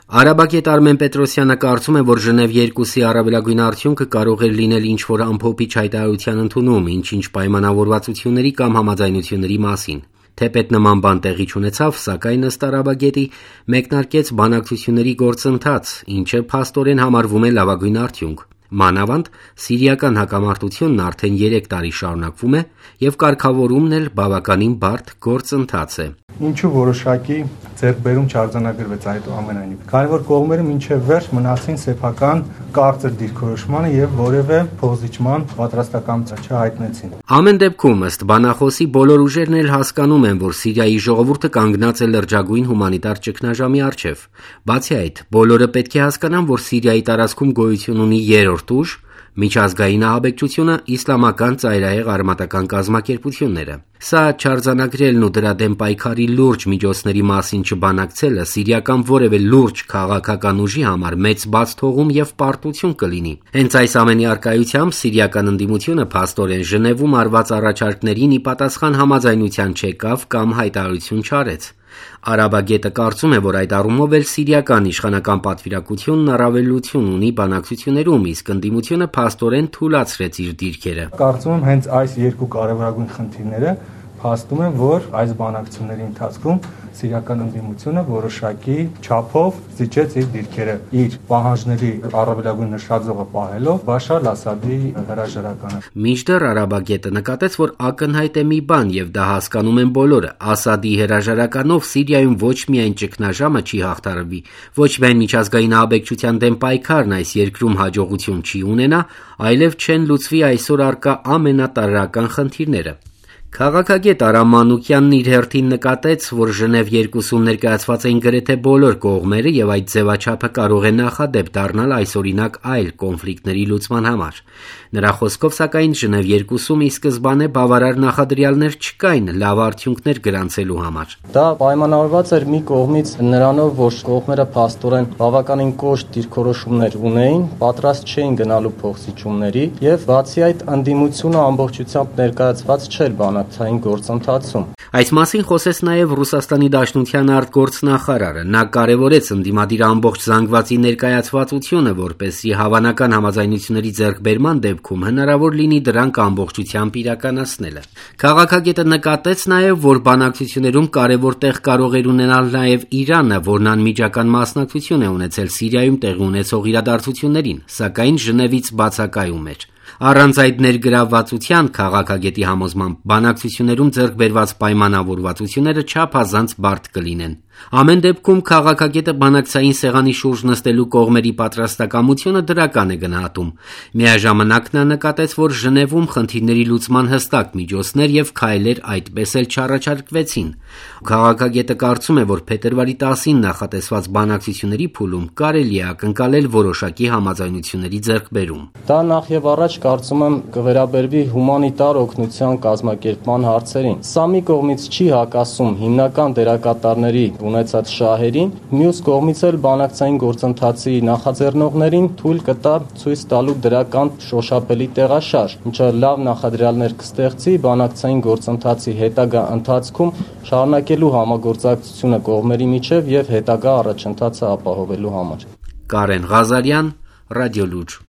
Արաբագետ Արմեն Պետրոսյանը կարծում է, որ Ժնև 2-ի առավելագույն արդյունքը կարող էր լինել ինչ-որ ամփոփիչ հայտարարության ընդունում ինչ-ինչ պայմանավորվածությունների կամ համաձայնությունների մասին։ Թեպետ նման բան տեղի չունեցավ, սակայն ըստ Արաբագետի մեկնարկեց բանակցությունների գործընթաց, ինչը փաստորեն համարվում է լավագույն արդյունք։ Մանավանդ սիրիական հակամարտությունն արդեն 3 տարի շարունակվում է և կարգավորումն էլ բավականին բարդ գործընթաց է։ Ինչու որոշակի ձեռքբերում չարձանագրվեց այնուամենայնիվ, քանի որ կողմերը մինչև վերջ մնացին սեփական կարծր դիրքորոշմանը եւ որևէ փոխզիջման պատրաստակամություն չհայտնեցին։ Ամեն դեպքում, ըստ բանախոսի, բոլոր ուժերն էլ հասկանում են, որ Սիրիայի ժողովուրդը կանգնած է լրջագույն հումանիտար ճգնաժամի առջև։ Բացի այդ, բոլորը պետք է հասկանան, որ Սիրիայի տարածքում գոյություն ունի երրորդ ուժ, միջազգային ահաբեկչությունը, իսլամական ծայրահեղ արմատական կազմակերպությունները։ Սա չարձանագրելն ու դրա դեմ պայքարի լուրջ միջոցների մասին չբանակցելը սիրիական որևէ լուրջ քաղաքական ուժի համար մեծ բացթողում և պարտություն կլինի։ Հենց այս ամենի առկայությամբ սիրիական ընդդիմությունը փաստորեն Ժնևում արված առաջարկներին ի պատասխան համաձայնության չեկավ կամ հայտարարություն չարեց։ Արաբագետը կարծում է, որ այդ առումով էլ սիրիական իշխանական պատվիրակությունն առավելություն ունի բանակցություններում, իսկ ընդդիմությունը փաստորեն թուլացրեց իր դիրքերը։ Կարծում եմ հենց այս երկու կարևորագույն խնդիրները փաստում են, որ այս բանակցությունների ընթացքում սիրիական ընդդիմությունը որոշակի չափով զիջեց իր դիրքերը, իր պահանջների առավելագույն նշաձողը պահելով Բաշար Ասադի հրաժարականը։ Մինչդեռ Արաբագետը նկատեց, որ ակնհայտ է մի բան, եւ դա հասկանում են բոլորը. Ասադի հրաժարականով Սիրիայում ոչ միայն ճգնաժամը չի հաղթարվի, ոչ միայն միջազգային ահաբեկչության դեմ պայքարն այս երկրում հաջողություն չի ունենա, այլև չեն լուծվի այսօր առկա ամենատարրական խնդիրները։ Քաղաքագետ Արամ Մանուկյանն իր հերթին նկատեց, որ Ժնև 2-ում ներկայացված էին գրեթե բոլոր կողմերը եւ այդ ձևաչափը կարող է նախադեպ դառնալ այսօրինակ այլ կոնֆլիկտների լուծման համար։ Նրա խոսքով, սակայն, Ժնև 2-ում ի սկզբանե բավարար նախադրյալներ չկային լավ արդյունքներ գրանցելու համար։ Դա պայմանավորված էր մի կողմից նրանով, որ կողմերը փաստորեն բավականին կոշտ դիրքորոշումներ ունեին, պատրաստ չէին գնալու փոխզիջումների եւ բացի այդ ընդդիմությունը ամբողջությամբ ներկայացված չէր բանակցային գործընթացում։ Այս մասին խոսեց նաև Ռուսաստանի Դաշնության արտգործնախարարը։ Նա կարևորեց ընդդիմադիր ամբողջ զանգվածի ներկայացվածությունը, որպեսզի հավանական համաձայնությունների ձեռքբերման դեպքում հնարավոր լինի դրանք ամբողջությամբ իրականացնելը։ Քաղաքագետը նկատեց նաև, որ բանակցություններում կարևոր տեղ կարող էր ունենալ նաև Իրանը, որն անմիջական մասնակցություն է ունեցել Սիրիայում տեղի ունեցող իրադարձություններին, սակայն Ժնևից բացակայում էր։ Առանց այդ ներգրավվածության քաղաքագետի համոզմամբ բանակցություններում ձեռք բերված պայմանավորվածությունները չափազանց բարդ կլինեն։ Ամեն դեպքում քաղաքագետը բանակցային սեղանի շուրջ նստելու կողմերի պատրաստակամությունը դրական է գնահատում։ Միաժամանակ նա նկատեց, որ Ժնևում խնդիրների լուծման հստակ միջոցներ եւ քայլեր այդպես էլ չառաջարկվեցին։ Քաղաքագետը կարծում է, որ փետրվարի 10-ին նախատեսված բանակցությունների փուլում կարելի է ակնկալել որոշակի համաձայնությունների ձեռքբերում։ Դա նախ եւ առաջ կարծում եմ կվերաբերվի հումանիտար օգնության կազմակերպման հարցերին։ Սա մի կողմից չի հակասում հիմնական դերակատարների ունեցած շահերին, մյուս կողմից էլ բանակցային գործընթացի նախաձեռնողներին թույլ կտա ցույց տալու դրական շոշափելի տեղաշարժ, ինչը լավ նախադրյալներ կստեղծի բանակցային գործընթացի հետագա ընթացքում շարունակելու համագործակցությունը կողմերի միջև եւ հետագա առաջընթացը ապահովելու համար։ Կարեն Ղազարյան, Ռադիոլուր։